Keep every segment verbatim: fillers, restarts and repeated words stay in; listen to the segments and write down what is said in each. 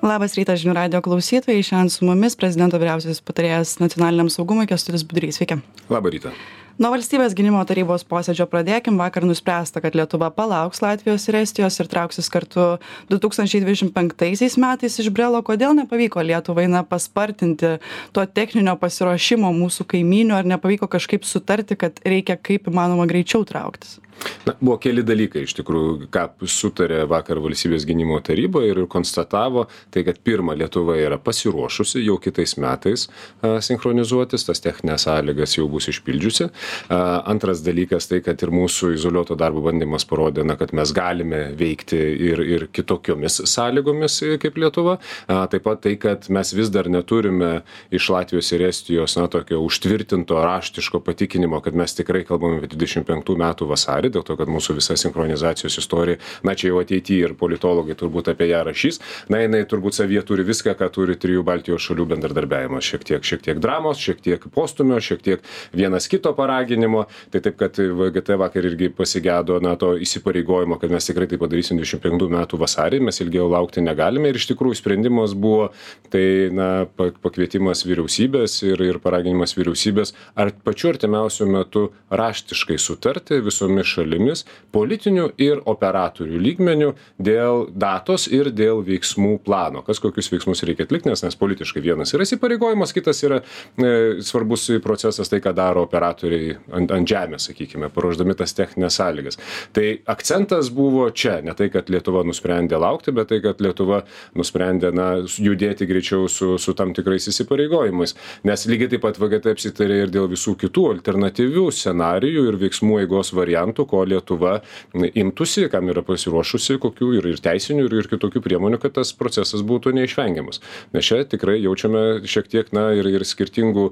Labas rytas žinių radijo klausytojai. Šiandien su mumis prezidento vyriausiasis patarėjas nacionaliniam saugumui Kęstutis Budrys. Sveiki. Labą rytą. Nuo valstybės gynimo tarybos posėdžio pradėkim. Vakar nuspręsta, kad Lietuva palauks Latvijos ir Estijos ir trauksis kartu du tūkstančiai dvidešimt penktaisiais metais iš Brelo. Kodėl nepavyko Lietuvai na paspartinti to techninio pasiruošimo mūsų kaimynių, ar nepavyko kažkaip sutarti, kad reikia kaip įmanoma greičiau trauktis? Na, buvo keli dalykai, iš tikrųjų, ką sutarė vakar valstybės gynimo taryba ir konstatavo, tai kad pirma, Lietuva yra pasiruošusi jau kitais metais a, sinchronizuotis, tas techninės sąlygas jau bus išpildžiusi. A, antras dalykas tai, kad ir mūsų izoliuoto darbo bandymas parodė, na, kad mes galime veikti ir, ir kitokiomis sąlygomis kaip Lietuva. A, taip pat tai, kad mes vis dar neturime iš Latvijos ir Estijos, na, tokio užtvirtinto raštiško patikinimo, kad mes tikrai kalbame apie dvidešimt penktų metų vasarį, dėl to, kad mūsų visa sinchronizacijos istorija, na čia jau ateityje ir politologai turbūt apie ją rašys, na jinai turbūt savyje turi viską, ką turi trijų Baltijos šalių bendradarbiavimas, šiek tiek, šiek tiek dramos, šiek tiek postumio, šiek tiek vienas kito paraginimo, tai taip, kad V G T vakar irgi pasigedo, na, to įsipareigojimo, kad mes tikrai tai padarysim dvidešimt penktų metų vasarį, mes ilgiau laukti negalime ir iš tikrųjų sprendimas buvo, tai, na, pakvietimas vyriausybės ir, ir paraginimas vyriausybės ar pačiu artimiausiu metu raštiškai sutarti visomis šalimis, politinių ir operatorių lygmenių dėl datos ir dėl veiksmų plano. Kas kokius veiksmus reikia atlikti, nes, nes politiškai vienas yra įsipareigojimas, kitas yra e, svarbus procesas tai, ką daro operatoriai ant, ant žemės, sakykime, paruošdami tas techninės sąlygas. Tai akcentas buvo čia, ne tai, kad Lietuva nusprendė laukti, bet tai, kad Lietuva nusprendė, na, judėti greičiau su, su tam tikrais įsipareigojimais. Nes lygiai taip pat V G T apsitarė ir dėl visų kitų alternatyvių scenarijų ir veiksmų eigos variantų, ko Lietuva imtųsi, kam yra pasiruošusi, kokių ir, ir teisinių, ir, ir kitokių priemonių, kad tas procesas būtų neišvengiamas. Nes čia tikrai jaučiame šiek tiek, na, ir, ir skirtingų,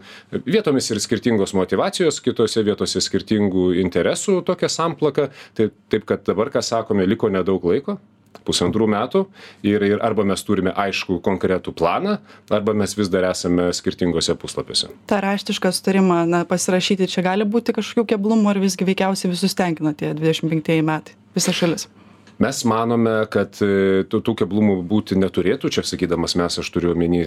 vietomis ir skirtingos motyvacijos, kitose vietose skirtingų interesų tokia samplaka. Tai, taip, kad dabar, ką sakome, liko nedaug laiko. Pusantrų metų ir, ir arba mes turime aišku konkretų planą, arba mes vis dar esame skirtingose puslapiuose. Ta raštišką sutarimą na, pasirašyti čia gali būti kažkokių keblumų, ar visgi veikiausiai visus tenkina tie dvidešimt penktieji metai, visa šalis? Mes manome, kad tų, tų keblumų būti neturėtų. Čia sakydamas mes, aš turiu omeny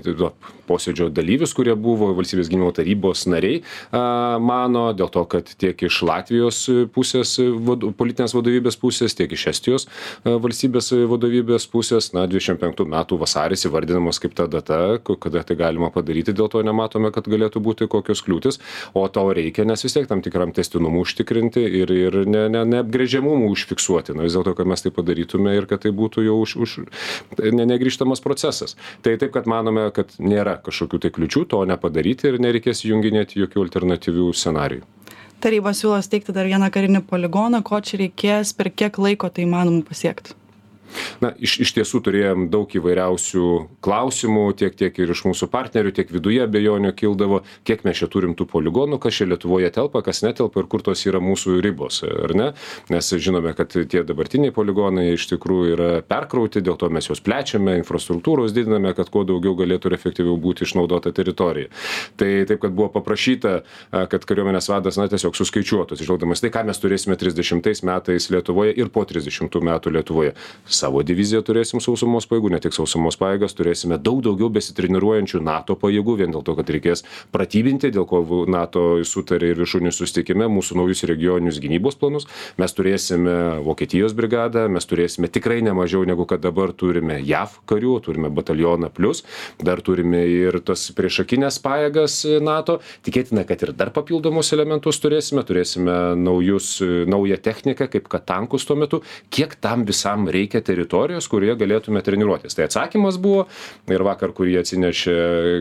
posėdžio dalyvius, kurie buvo valstybės gynimo tarybos nariai, a, mano, dėl to, kad tiek iš Latvijos pusės, vad, politinės vadovybės pusės, tiek iš Estijos a, valstybės vadovybės pusės, na, dvidešimt penktų metų vasaris įvardinamas kaip ta data, kada tai galima padaryti, dėl to nematome, kad galėtų būti kokios kliūtis, o to reikia, nes vis tiek tam tikram testinumų užtikrinti ir, ir ne, ne, neapgrėžiamumų užfiksuoti. Na, vis dėlto, kad mes taip padarytume ir kad tai būtų jau už, už ne, negrįžtamas procesas. Tai taip, kad manome, kad nėra kažkokių tai kliučių to nepadaryti ir nereikės junginėti jokių alternatyvių scenarijų. Taryba siūlo steigti dar vieną karinį poligoną, ko čia reikės, per kiek laiko tai įmanoma pasiekti? Na, iš, iš tiesų turėjom daug įvairiausių klausimų, tiek, tiek ir iš mūsų partnerių, tiek viduje abejonių kildavo, kiek mes čia turim tų poligonų, kas čia Lietuvoje telpa, kas netelpa ir kur tos yra mūsų ribos, ar ne? Nes žinome, kad tie dabartiniai poligonai iš tikrųjų yra perkrauti, dėl to mes juos plečiame, infrastruktūros didiname, kad kuo daugiau galėtų ir efektyviau būti išnaudota teritorija. Tai taip, kad buvo paprašyta, kad kariuomenės vadas, na, tiesiog suskaičiuotų, išžvelgdamas tai, ką mes turėsime trisdešimtais metais Lietuvoje ir po trisdešimtų metų Lietuvoje. Savo diviziją turėsim sausumos pajėgų, ne tik sausumos pajėgas, turėsime daug daugiau besitreniruojančių NATO pajėgų, vien dėl to, kad reikės pratybinti, dėl ko NATO sutarė ir viršūnių susitikime mūsų naujus regioninius gynybos planus. Mes turėsime Vokietijos brigadą, mes turėsime tikrai nemažiau negu kad dabar turime J A V karių, turime batalioną plus, dar turime ir tas priešakinės pajėgas NATO. Tikėtina, kad ir dar papildomus elementus turėsime, turėsime naujus, naują techniką, kaip kad tankus tuo metu. Kiek tam visam reikia teritorijos, kurioje galėtume treniruotis. Tai atsakymas buvo, ir vakar, kurį atsinešė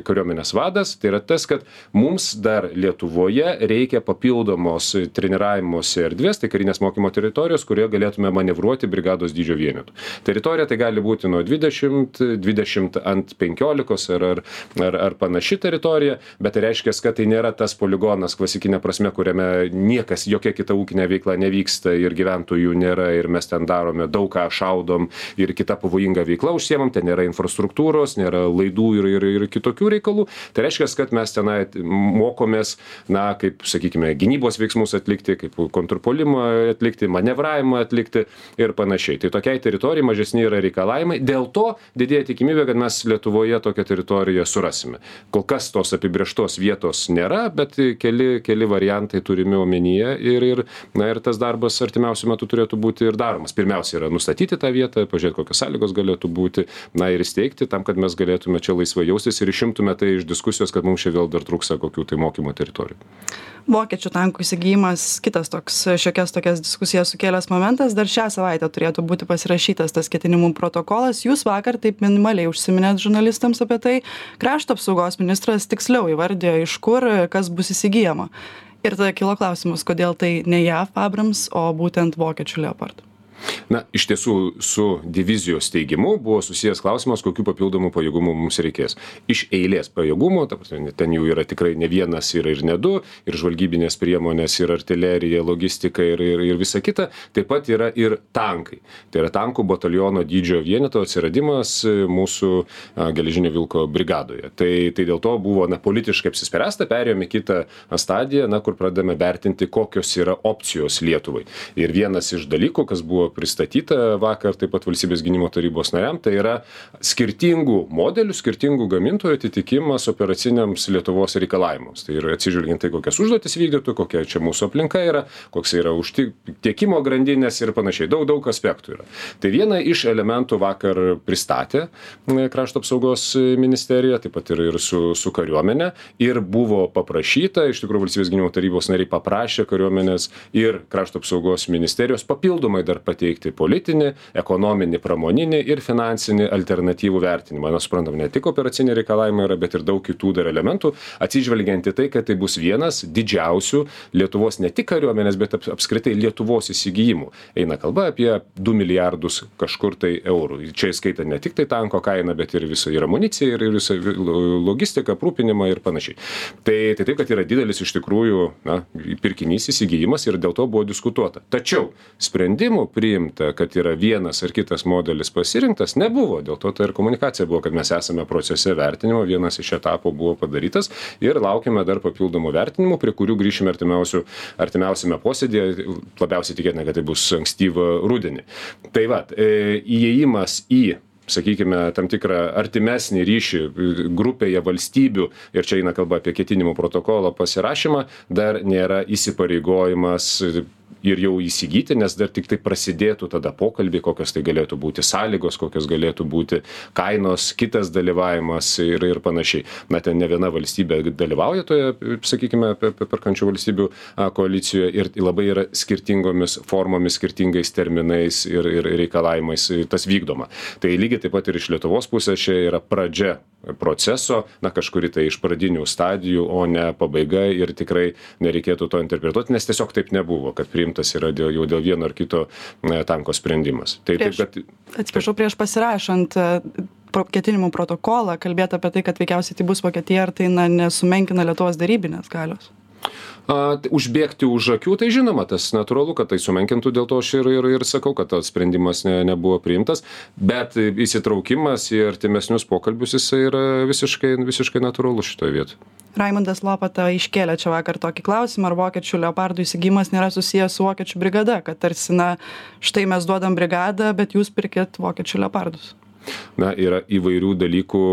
kariuomenės vadas, tai yra tas, kad mums dar Lietuvoje reikia papildomos treniravimosi erdvės, tai karinės mokymo teritorijos, kurioje galėtume manevruoti brigados dydžio vienetų. Teritorija tai gali būti nuo dvidešimt, dvidešimt ant penkiolikos ar, ar, ar, ar panaši teritorija, bet tai reiškia, kad tai nėra tas poligonas klasikinė prasme, kuriame niekas, jokia kita ūkinė veikla nevyksta ir gyventojų nėra ir mes ten darome daug ką, šaudom vykdom ir kita pavojinga veikla užsiemam, ten nėra infrastruktūros, nėra laidų ir, ir, ir kitokių reikalų. Tai reiškia, kad mes tenai mokomės, na, kaip, sakykime, gynybos veiksmus atlikti, kaip kontrpuolimą atlikti, manevravimą atlikti ir panašiai. Tai tokiai teritorijai mažesni yra reikalavimai. Dėl to didėja tikimybė, kad mes Lietuvoje tokią teritoriją surasime. Kol kas tos apibrėžtos vietos nėra, bet keli, keli variantai turimi omenyje ir, ir, na, ir tas darbas artimiausiu metu turėtų būti ir daromas. Pirmiausia yra nustatyti tą vietą, pažiūrėti, kokios sąlygos galėtų būti, na, ir įsteigti tam, kad mes galėtume čia laisvai jaustis ir išimtume tai iš diskusijos, kad mums čia vėl dar trūksta kokių tai mokymo teritorijų. Vokiečių tankų įsigijimas, kitas toks šiokias tokias diskusijas sukėlęs momentas, dar šią savaitę turėtų būti pasirašytas tas ketinimų protokolas. Jūs vakar taip minimaliai užsiminėt žurnalistams apie tai. Krašto apsaugos ministras tiksliau įvardėjo, iš kur kas bus įsigijama. Ir tada kilo klausimas, kodėl tai ne J A F Abrams, o būtent vokiečių Leopard. Na, iš tiesų, su divizijos steigimu buvo susijęs klausimas, kokių papildomų pajėgumų mums reikės. Iš eilės pajėgumų, ta prasme, ten jų yra tikrai ne vienas, yra ir ne du, ir žvalgybinės priemonės, ir artilerija, logistika ir, ir, ir visa kita, taip pat yra ir tankai. Tai yra tankų bataliono dydžio vieneto atsiradimas mūsų a, geležinio vilko brigadoje. Tai, tai dėl to buvo, na, politiškai apsispręsta, perėjome kitą stadiją, na, kur pradame vertinti, kokios yra opcijos Lietuvai. Ir vienas iš dalykų, kas buvo pristatyta vakar taip pat Valstybės gynimo tarybos nariam, tai yra skirtingų modelių, skirtingų gamintojų atitikimas operaciniams Lietuvos reikalavimams. Tai yra atsižvelgiant tai, kokias užduotis vykdytų, kokia čia mūsų aplinka yra, koks yra užtik, tiekimo grandinės ir panašiai. Daug, daug aspektų yra. Tai viena iš elementų vakar pristatė Krašto apsaugos ministerija, taip pat ir, ir su, su kariuomenė, ir buvo paprašyta, iš tikrųjų Valstybės gynimo tarybos nariai paprašė kariuomenės ir Krašto apsaugos ministerijos papildomai dar pateikti teikti politinį, ekonominį, pramoninį ir finansinį alternatyvų vertinimą. Mes suprantam, ne tik operaciniai reikalavimai yra, bet ir daug kitų dar elementų, atsižvelgiant į tai, kad tai bus vienas didžiausių Lietuvos ne tik kariuomenės, bet apskritai Lietuvos įsigijimų. Eina kalba apie du milijardus kažkur tai eurų. Čia įskaita ne tik tai tanko kaina, bet ir visa ir amunicija, ir visa logistika, aprūpinimą ir panašiai. Tai, tai taip, kad yra didelis iš tikrųjų, na, pirkinys įsigijimas ir dėl to buvo diskutuota. Tačiau sprendimų priimta, kad yra vienas ar kitas modelis pasirinktas, nebuvo. Dėl to tai ir komunikacija buvo, kad mes esame procese vertinimo, vienas iš etapų buvo padarytas ir laukiame dar papildomų vertinimų, prie kurių grįšime artimiausiame posėdėje, labiausiai tikėtina, kad tai bus ankstyvą rudenį. Tai va, e, įėjimas į sakykime, tam tikrą artimesnį ryšį grupėje valstybių, ir čia eina kalba apie ketinimų protokolo pasirašymą, dar nėra įsipareigojimas ir jau įsigyti, nes dar tik tai prasidėtų tada pokalbį, kokios tai galėtų būti sąlygos, kokios galėtų būti kainos, kitas dalyvavimas ir, ir panašiai. Na, ten ne viena valstybė dalyvauja toje, sakykime, perkančių valstybių koalicijoje ir labai yra skirtingomis formomis, skirtingais terminais ir, ir reikalavimais tas vykdoma. Tai lygiai taip pat ir iš Lietuvos pusės čia yra pradžia proceso, na, kažkuri tai iš pradinių stadijų, o ne pabaiga ir tikrai nereikėtų to interpretuoti, nes tiesiog taip nebuvo, kad priimtas yra dėl, jau dėl vieno ar kito ne, tanko sprendimas. Tai, prieš, taip, kad, atsiprašau, prieš pasirašant ketinimų protokolą, kalbėti apie tai, kad veikiausiai tai bus Vokietija, ar tai na, nesumenkina Lietuvos darybinės galios? A, užbėgti už akių, tai žinoma, tas natūralu, kad tai sumenkintų, dėl to aš ir, ir, ir sakau, kad tas sprendimas ne, nebuvo priimtas, bet įsitraukimas į artimesnius pokalbius jisai yra visiškai, visiškai natūralu šitoje vietoje. Raimundas Lopata iškėlė čia vakar tokį klausimą, ar vokiečių Leopardų įsigijimas nėra susijęs su vokiečių brigada, kad tarsi, na, štai mes duodam brigadą, bet jūs pirkit vokiečių Leopardus. Na, yra įvairių dalykų,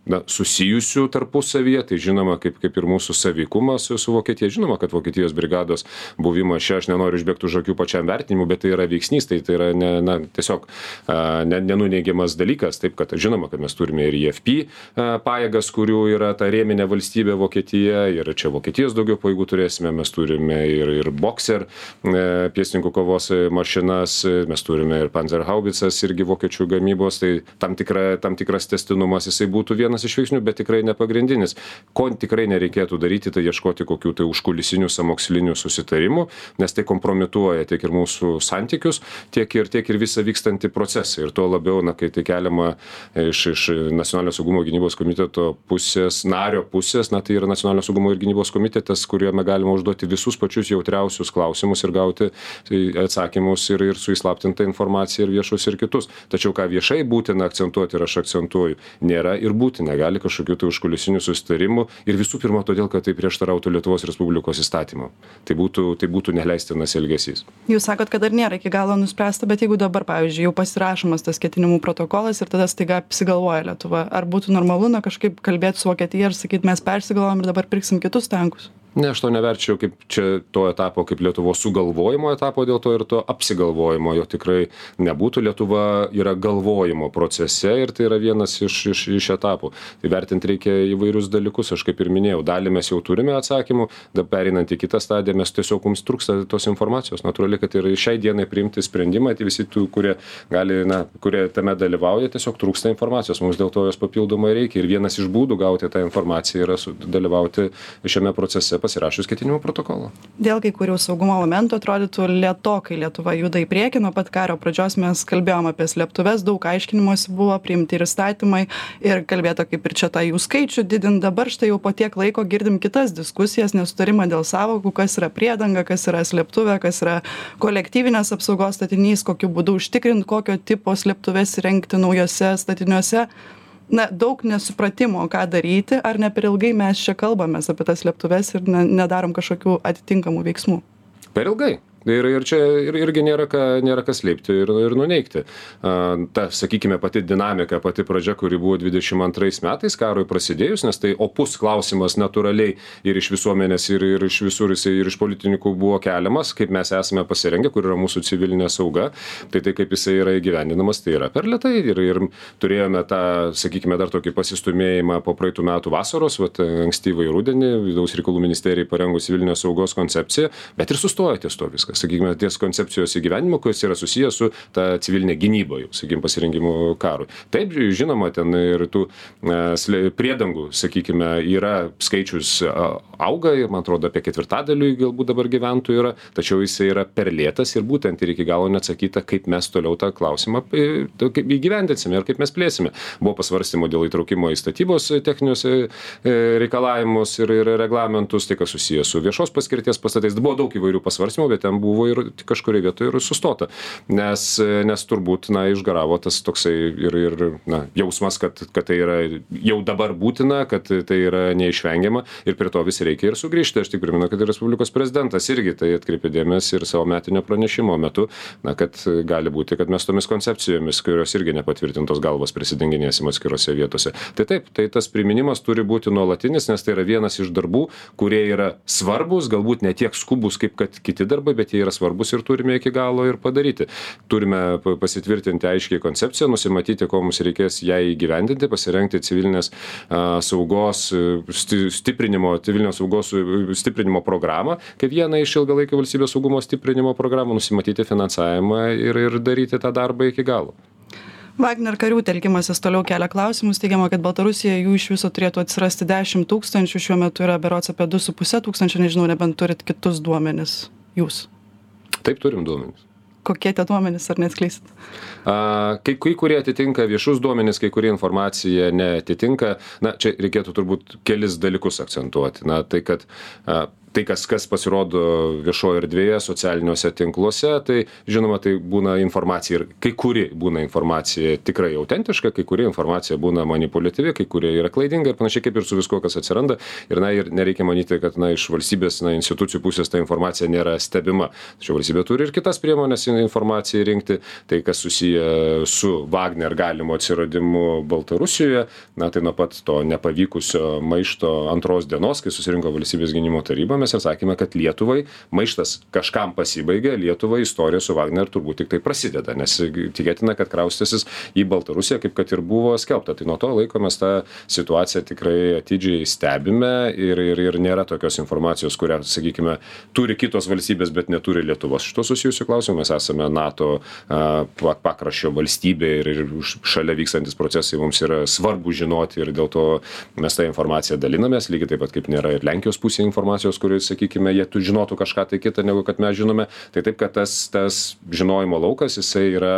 na, susijusių tarpusavyje, tai žinoma, kaip, kaip ir mūsų sąveikumas su, su Vokietija, žinoma, kad Vokietijos brigados buvimas čia, aš nenoriu išbėgti už akių pačiam vertinimu, bet tai yra veiksnys, tai, tai yra ne, na, tiesiog a, ne, nenuneigiamas dalykas, taip kad žinoma, kad mes turime ir I F P a, pajėgas, kurių yra ta rėminė valstybė Vokietija, ir čia Vokietijos daugiau pajėgų turėsime, mes turime ir, ir Boxer e, pėstininkų kovos mašinas, mes turime ir Panzerhaubicas irgi vokiečių gamybos, tai tam, tikra, tam tikras tęstinumas jisai būtų vienas vienas iš veiksnių, bet tikrai nepagrindinis. Ko tikrai nereikėtų daryti, tai ieškoti kokių tai užkulisinių sąmokslinių susitarimų, nes tai kompromituoja tiek ir mūsų santykius, tiek ir, tiek ir visą vykstantį procesą. Ir tuo labiau, na, kai tai keliama iš, iš Nacionalinio saugumo gynybos komiteto pusės, nario pusės, na, tai yra Nacionalinio saugumo ir gynybos komitetas, kuriame galima užduoti visus pačius jautriausius klausimus ir gauti atsakymus ir, ir su įslaptinta informacija ir viešus ir kitus. Tačiau ką viešai būtina akcentuoti ir aš akcentuoju, nėra ir būtina, gali kažkokių tai užkulisinių susitarimų ir visų pirma todėl, kad tai prieštarautų Lietuvos Respublikos įstatymų. Tai būtų, tai būtų neleistinas elgesys. Jūs sakot, kad dar nėra iki galo nuspręsta, bet jeigu dabar, pavyzdžiui, jau pasirašomas tas ketinimų protokolas ir tada staiga apsigalvoja Lietuva, ar būtų normalu na kažkaip kalbėti su Vokietija ir sakyti, mes persigalvojam ir dabar pirksim kitus tankus? Ne, aš to neverčiau kaip čia to etapo, kaip Lietuvos sugalvojimo etapo, dėl to ir to apsigalvojimo, jo tikrai nebūtų. Lietuva yra galvojimo procese ir tai yra vienas iš, iš, iš etapų. Tai vertinti reikia įvairius dalykus, aš kaip ir minėjau, dalį mes jau turime atsakymų, dabar perinant į kitą stadiją, mes tiesiog mums trūksta tos informacijos. Natūraliai, kad ir šiai dienai priimti sprendimą, tai visi tų, kurie gali, na, kurie tame dalyvauja, tiesiog trūksta informacijos, mums dėl to jos papildomai reikia. Ir vienas iš būdų gauti tą informaciją yra dalyvauti šiame procese pasirašius ketinimų protokolą. Dėl kai kurių saugumo momentų atrodytų lėtokai Lietuva juda į priekį. Nuo pat karo pradžios mes kalbėjom apie slėptuves, daug aiškinimosi buvo, priimti ir įstatymai ir kalbėta kaip ir čia tą jų skaičių didint. Dabar štai jau po tiek laiko girdim kitas diskusijas, nesutarimą dėl sąvokų, kas yra priedanga, kas yra slėptuvė, kas yra kolektyvinės apsaugos statinys, kokiu būdu užtikrinti, kokio tipo slėptuves įrengti naujose statiniuose. Na, daug nesupratimo, ką daryti, ar ne per ilgai mes čia kalbamės apie tas slėptuves ir ne, nedarom kažkokių atitinkamų veiksmų. Per ilgai. Ir, ir čia ir, irgi nėra ką, nėra kas slėpti ir, ir nuneigti. A, ta, sakykime, pati dinamika, pati pradžia, kuri buvo dvidešimt antrais metais karui prasidėjus, nes tai opus klausimas natūraliai ir iš visuomenės, ir, ir iš visur, ir iš politikų buvo keliamas, kaip mes esame pasirengę, kur yra mūsų civilinė sauga, tai tai kaip jisai yra įgyvendinamas, tai yra per lėtai. Ir, ir turėjome tą, sakykime, dar tokį pasistumėjimą po praeitų metų vasaros, vat, ankstyvai rudenį, vidaus reikalų ministerijai parengus civilinės saugos koncepciją, bet ir sustojo ties to viskas. Sakykime, ties koncepcijos įgyvenimo, kuris yra susijęs su ta civilinė gynyba, jau, sakykime, pasirengimu karui. Taip, žinoma, ten ir tų e, priedangų, sakykime, yra skaičius auga, ir man atrodo apie ketvirtadaliui galbūt dabar gyventojų yra, tačiau jisai yra per lėtas ir būtent ir iki galo neatsakyta, kaip mes toliau tą klausimą įgyvendinsime ir kaip mes plėsime. Buvo pasvarstymo dėl įtraukimo į statybos techninius reikalavimus ir, ir reglamentus, tai kas susijęs su viešos paskirties pastatais. Buvo daug įvairių pasvarstymų, bet ten buvo ir kažkurioje vietoje ir sustota, nes, nes turbūt, na, išgaravo tas toksai ir, ir na, jausmas, kad, kad tai yra jau dabar būtina, kad tai yra neišvengiama ir prie to vis reikia ir sugrįžti. Aš tik primenu, kad ir Respublikos prezidentas irgi tai atkreipė dėmesį ir savo metinio pranešimo metu, na, kad gali būti, kad mes tomis koncepcijomis, kurios irgi nepatvirtintos galvos prisidenginėsim atskirose vietose. Tai taip, tai tas priminimas turi būti nuolatinis, nes tai yra vienas iš darbų, kurie yra svarbus, galbūt ne tiek skubus kaip kad kiti darbai, bet jie yra svarbus ir turime iki galo ir padaryti. Turime pasitvirtinti aiškiai koncepciją, nusimatyti, ko mums reikės ją įgyvendinti, pasirengti civilinės a, saugos stiprinimo, civilinės saugos stiprinimo programą, kaip vieną iš ilgalaikio valstybės saugumo stiprinimo programų, nusimatyti finansavimą ir, ir daryti tą darbą iki galo. Wagner karių telkimasis toliau kelia klausimus. Teigiama, kad Baltarusijoje jų iš viso turėtų atsirasti dešimt tūkstančių, šiuo metu yra berods apie du su puse tūkstančio, nežinau, nebent turit kitus duomenis. Jūs? Taip, turim duomenis. Kokie tie duomenys, ar neatskleisit? A, kai, kai kurie atitinka viešus duomenys, kai kurie informacija neatitinka. Na, čia reikėtų turbūt kelis dalykus akcentuoti. Na, tai, kad a, tai, kas, kas pasirodo viešoje erdvėje, socialiniuose tinkluose, tai žinoma, tai būna informacija ir kai kuri būna informacija tikrai autentiška, kai kuri informacija būna manipuliatyvi, kai kurie yra klaidinga ir panašiai kaip ir su visko, kas atsiranda. Ir, na, ir nereikia manyti, kad, na, iš valstybės, na, institucijų pusės ta informacija nėra stebima. Tačiau valstybė turi ir kitas priemonės informacijai rinkti. Tai, kas susiję su Wagner galimu atsiradimu Baltarusijoje, na, tai nuo pat to nepavykusio maišto antros dienos, kai susirinko valstybės gynimo taryba, kalbėjomės ir sakėme, kad Lietuvai maištas kažkam pasibaigė, Lietuvai istorija su Wagner turbūt tik tai prasideda, nes tikėtina, kad kraustysis į Baltarusiją, kaip kad ir buvo skelbta. Tai nuo to laiko mes tą situaciją tikrai atidžiai stebime ir, ir, ir nėra tokios informacijos, kurią, sakykime, turi kitos valstybės, bet neturi Lietuvos. Šito susijusiu klausimu mes esame NATO a, pakraščio valstybė ir, ir šalia vykstantis procesai mums yra svarbu žinoti ir dėl to mes tą informaciją dalinamės, lygiai taip pat kaip nėra ir Lenkijos pusė informacijos, kuris, sakykime, jie tu žinotų kažką tai kitą, negu kad mes žinome. Tai taip, kad tas, tas žinojimo laukas, jisai yra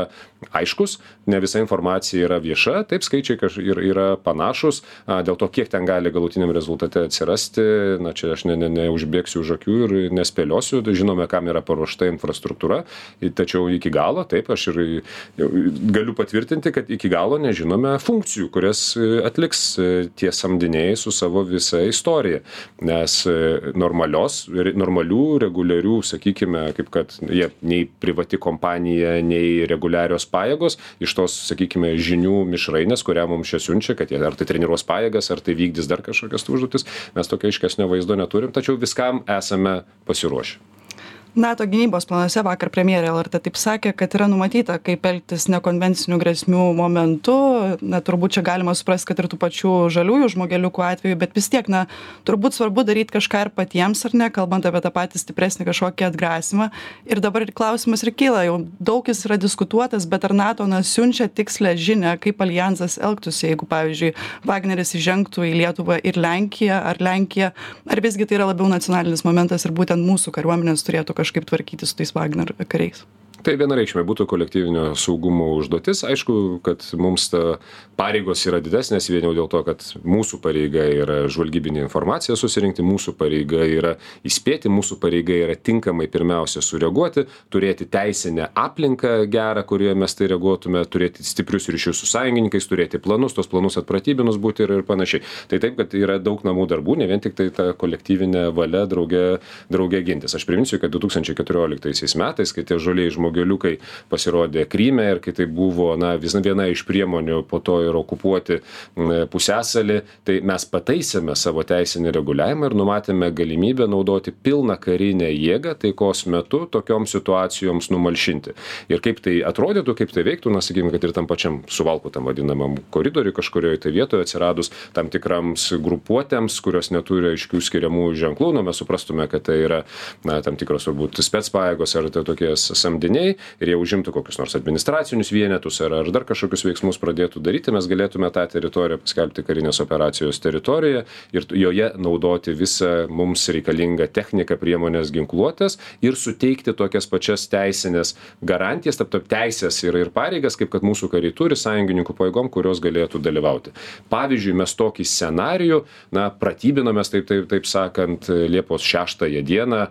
aiškus, ne visa informacija yra vieša, taip skaičiai ir yra panašus, a, dėl to, kiek ten gali galutiniam rezultate atsirasti, na čia aš ne, ne, neužbėgsiu už akių ir nespėliosiu, žinome, kam yra paruošta infrastruktūra, tačiau iki galo, taip, aš ir galiu patvirtinti, kad iki galo nežinome funkcijų, kurias atliks tie samdiniai su savo visa istorija, nes normalios, normalių, reguliarių, sakykime, kaip kad jie nei privati kompanija, nei reguliarios pajėgos iš tos, sakykime, žinių mišrainės, kurią mums čia siunčia, kad jie ar tai treniruos pajėgas, ar tai vykdys dar kažkokias užduotis, mes tokio aiškesnio vaizdo neturim, tačiau viskam esame pasiruošę. NATO gynybos planuose vakar premjerė L R T taip sakė, kad yra numatyta, kaip elgtis nekonvencinių grėsmių momentu. Na, turbūt čia galima suprasti, kad ir tų pačių žaliųjų žmogeliukų atveju, bet vis tiek, na, turbūt svarbu daryti kažką ir patiems, ar ne, kalbant apie tą patį stipresnį kažkokį atgrasimą. Ir dabar ir klausimas ir kyla, jau daug jis yra diskutuotas, bet ar NATO, na, siunčia tikslę žinią, kaip alijansas elgtųsi, jeigu, pavyzdžiui, Wagneris įžengtų į Lietuvą ir Lenkiją, ar Lenkiją, ar visgi tai yra labiau nacionalinis momentas ir būtent mūsų kariuomenės turėtų kažką kažkaip tvarkyti su tais Wagner kariais. Tai vienareikšmiai būtų kolektyvinio saugumo užduotis. Aišku, kad mums ta pareigos yra didesnės, vien jau dėl to, kad mūsų pareiga yra žvalgybinė informacija susirinkti, mūsų pareiga yra įspėti, mūsų pareiga yra tinkamai pirmiausia sureaguoti, turėti teisinę aplinką gerą, kurioje mes tai reaguotume, turėti stiprius ryšius su sąjungininkais, turėti planus, tos planus atpratybinus būti ir, ir panašiai. Tai taip, kad yra daug namų darbų, ne vien tik tai ta kolektyvinė valia drauge, drauge gintis. Aš priminsiu, kad du tūkstančiai keturioliktaisiais metais, kai tie žoliai žmogeliukai pasirodė Kryme ir kai tai buvo, na, vis viena iš priemonių po to ir okupuoti pusiasalį, tai mes pataisėme savo teisinį reguliavimą ir numatėme galimybę naudoti pilną karinę jėgą taikos metu tokioms situacijoms numalšinti. Ir kaip tai atrodytų, kaip tai veiktų, na, sakykime, kad ir tam pačiam Suvalkų tam vadinamam koridoriui kažkurioje tai vietoje atsiradus tam tikrams grupuotėms, kurios neturi aiškių skiriamų ženklų, nu, mes suprastume, kad tai yra, na, tam tikros turbūt specpajėgos ar tai tokie samdiniai ir jie užimtų kokius nors administracinius vienetus ar, ar dar kažkokius veiksmus pradėtų daryti, mes galėtume tą teritoriją paskelbti karinės operacijos teritoriją ir joje naudoti visą mums reikalingą techniką, priemonės, ginkluotės ir suteikti tokias pačias teisinės garantijas, tarp tarp teisės ir, ir pareigas, kaip kad mūsų kariai turi sąjungininkų pajėgom, kurios galėtų dalyvauti. Pavyzdžiui, mes tokį scenarijų, na, pratybinomės, taip, taip, taip sakant, Liepos šeštąją dieną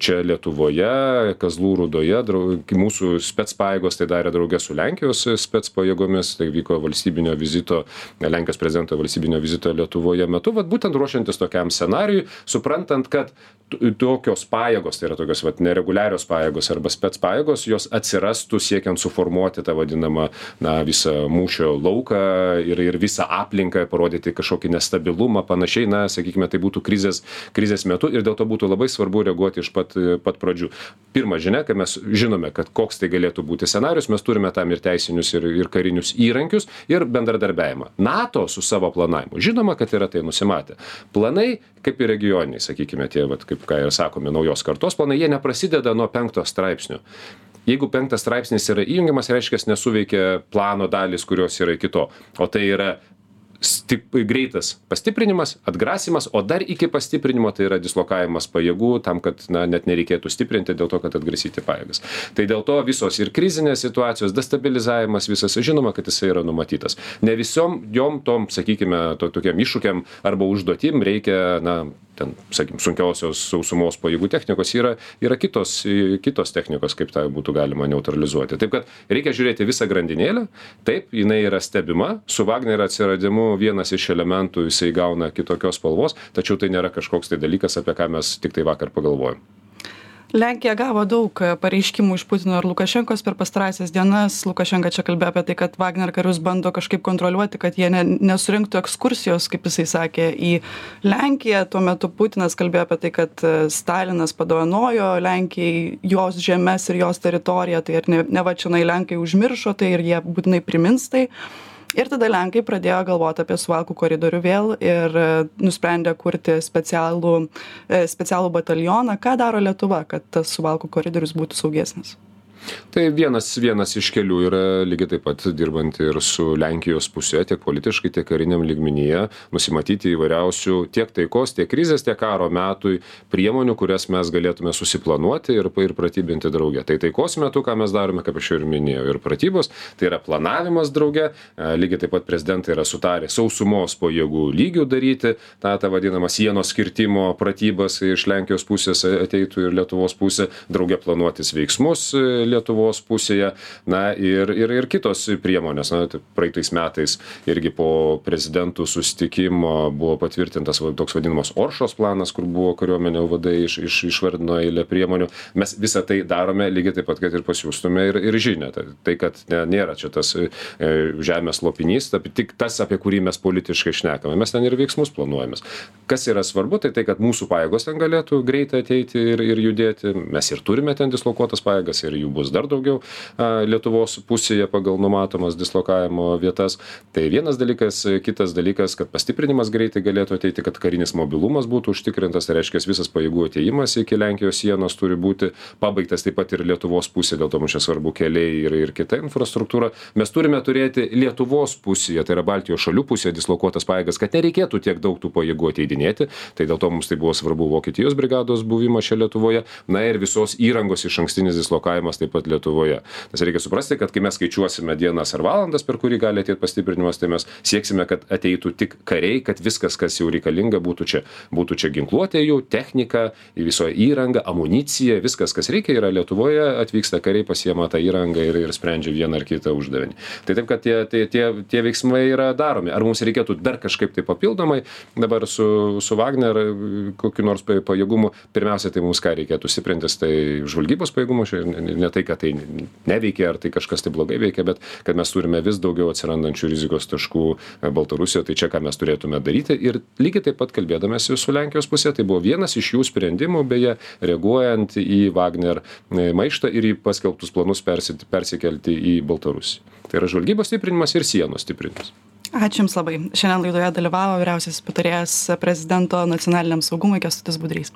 čia Lietuvoje, Kazlų Rūdoje, mūsų specpajėgos tai darė draugė su Lenkijos specpajėgomis, tai vyko valstybinio vizito, Lenkijos prezidento valstybinio vizito Lietuvoje metu, vat būtent ruošiantis tokiam scenarijui, suprantant, kad tokios pajėgos, tai yra tokios vat nereguliarios pajėgos arba specpajėgos, jos atsirastų siekiant suformuoti tą vadinamą, na, visą mūšio lauką ir, ir visą aplinką, parodyti kažkokį nestabilumą, panašiai, na, sakykime, tai būtų krizės, krizės metu ir dėl to būtų labai svarbu reaguoti iš pat, pat pradžių. Pirma žinia, kad mes žinome, kad koks tai galėtų būti scenarius, mes turime tam ir teisinius, ir, ir karinius įrankius ir bendradarbiavimą. NATO su savo planavimu, žinoma, kad yra tai nusimatę. Planai, kaip ir regioniniai, sakykime, tie, vat, kaip ką ir sakome, naujos kartos planai, jie neprasideda nuo penkto straipsnio. Jeigu penktas straipsnis yra įjungiamas, reiškia, nesuveikia plano dalis, kurios yra iki to. O tai yra Stip, greitas pastiprinimas, atgrasimas, o dar iki pastiprinimo tai yra dislokavimas pajėgų tam, kad, na, net nereikėtų stiprinti dėl to, kad atgrasyti pajėgas. Tai dėl to visos ir krizinės situacijos, destabilizavimas visas, žinoma, kad jisai yra numatytas. Ne visom jom tom, sakykime, to, tokiam iššūkiam arba užduotim reikia, na, ten, sakykim, sunkiausios sausumos pajėgų technikos, yra, yra kitos, kitos technikos, kaip tai būtų galima neutralizuoti. Taip, kad reikia žiūrėti visą grandinėlę, taip, jinai yra stebima, su Wagnerio atsiradimu vienas iš elementų jisai gauna kitokios spalvos, tačiau tai nėra kažkoks tai dalykas, apie ką mes tik tai vakar pagalvojom. Lenkija gavo daug pareiškimų iš Putino ir Lukašenkos per pastarąsias dienas. Lukašenka čia kalbėjo apie tai, kad Wagner karius bando kažkaip kontroliuoti, kad jie ne, nesurinktų ekskursijos, kaip jisai sakė, į Lenkiją. Tuo metu Putinas kalbėjo apie tai, kad Stalinas padovanojo Lenkijai jos žemes ir jos teritoriją, tai ir ne, ne va čionai Lenkai užmiršo tai ir jie būtinai primins tai. Ir tada Lenkai pradėjo galvoti apie Suvalkų koridorių vėl ir nusprendė kurti specialų, specialų batalioną. Ką daro Lietuva, kad tas Suvalkų koridorius būtų saugesnis? Tai vienas, vienas iš kelių yra lygiai taip pat dirbant ir su Lenkijos pusė, tiek politiškai, tiek kariniam lygmenyje, nusimatyti įvairiausių tiek taikos, tiek krizės, tiek karo metui priemonių, kurias mes galėtume susiplanuoti ir, ir pratybinti drauge. Tai taikos metu, ką mes darome, kaip aš jau ir minėjau, ir pratybos, tai yra planavimas drauge, lygiai taip pat prezidentai yra sutarę sausumos pajėgų lygių daryti, tą, tą vadinamą sienos skirtimo pratybas iš Lenkijos pusės ateitų ir Lietuvos pusė, drauge planuotis veiksmus Lietuvos pusėje, na ir, ir, ir kitos priemonės. Na, praeitais metais irgi po prezidentų susitikimo buvo patvirtintas toks vadinamas Oršos planas, kur buvo kariuomenė vadai iš, iš, išvardino eilę priemonių. Mes visą tai darome lygiai taip pat, kad ir pasiūstume ir, ir žinią. Tai, tai kad ne, nėra čia tas e, žemės lopinys, tai tik tas, apie kurį mes politiškai šnekame. Mes ten ir veiksmus planuojame. Kas yra svarbu, tai tai, kad mūsų pajėgos ten galėtų greitai ateiti ir, ir judėti. Mes ir turime ten dislokuotas pajėgas ir jų bus dar daugiau a, Lietuvos pusėje pagal numatomas dislokavimo vietas. Tai vienas dalykas, kitas dalykas, kad pastiprinimas greitai galėtų ateiti, kad karinis mobilumas būtų užtikrintas, tai reiškia visas pajėgų atėjimas iki Lenkijos sienos turi būti pabaigtas taip pat ir Lietuvos pusė, dėl to mums čia svarbu keliai ir, ir kita infrastruktūra. Mes turime turėti Lietuvos pusėje, tai yra Baltijos šalių pusėje dislokuotas pajėgas, kad nereikėtų tiek daug tų pajėgų ateidinėti. Tai dėl to mums tai buvo svarbu Vokietijos brigados buvimas čia Lietuvoje, na ir visos įrangos iš ankstinis dislokavimas taip pat Lietuvoje. Nes reikia suprasti, kad kai mes skaičiuosime dienas ar valandas, per kurį gali ateiti pastiprinimas, tai mes sieksime, kad ateitų tik kariai, kad viskas, kas jau reikalinga, būtų čia. Būtų čia ginkluotė jų, technika, viso įranga, amunicija, viskas, kas reikia, yra Lietuvoje, atvyksta kariai, pasiema tą įrangą ir, ir sprendžia vieną ar kitą uždavinį. Tai taip, kad tie, tie, tie, tie veiksmai yra daromi. Ar mums reikėtų dar kažkaip tai papildomai dabar su, su Wagner kokiu nors pajėgumu, pirmiausia, tai mums ką reikėtų stiprintis, tai žvalgybos pajėgumus, ne tai, kad tai neveikia, ar tai kažkas tai blogai veikia, bet kad mes turime vis daugiau atsirandančių rizikos taškų Baltarusijoje, tai čia ką mes turėtume daryti. Ir lygiai taip pat kalbėdamės su Lenkijos pusė, tai buvo vienas iš jų sprendimų, beje, reaguojant į Wagner maištą ir į paskelbtus planus persikelti į Baltarusiją. Tai yra žvalgybos stiprinimas ir sienos stiprinimas. Ačiū Jums labai. Šiandien laidoje dalyvavo vyriausiasis patarėjas prezidento nacionaliniam saugumui Kęstutis Budrys.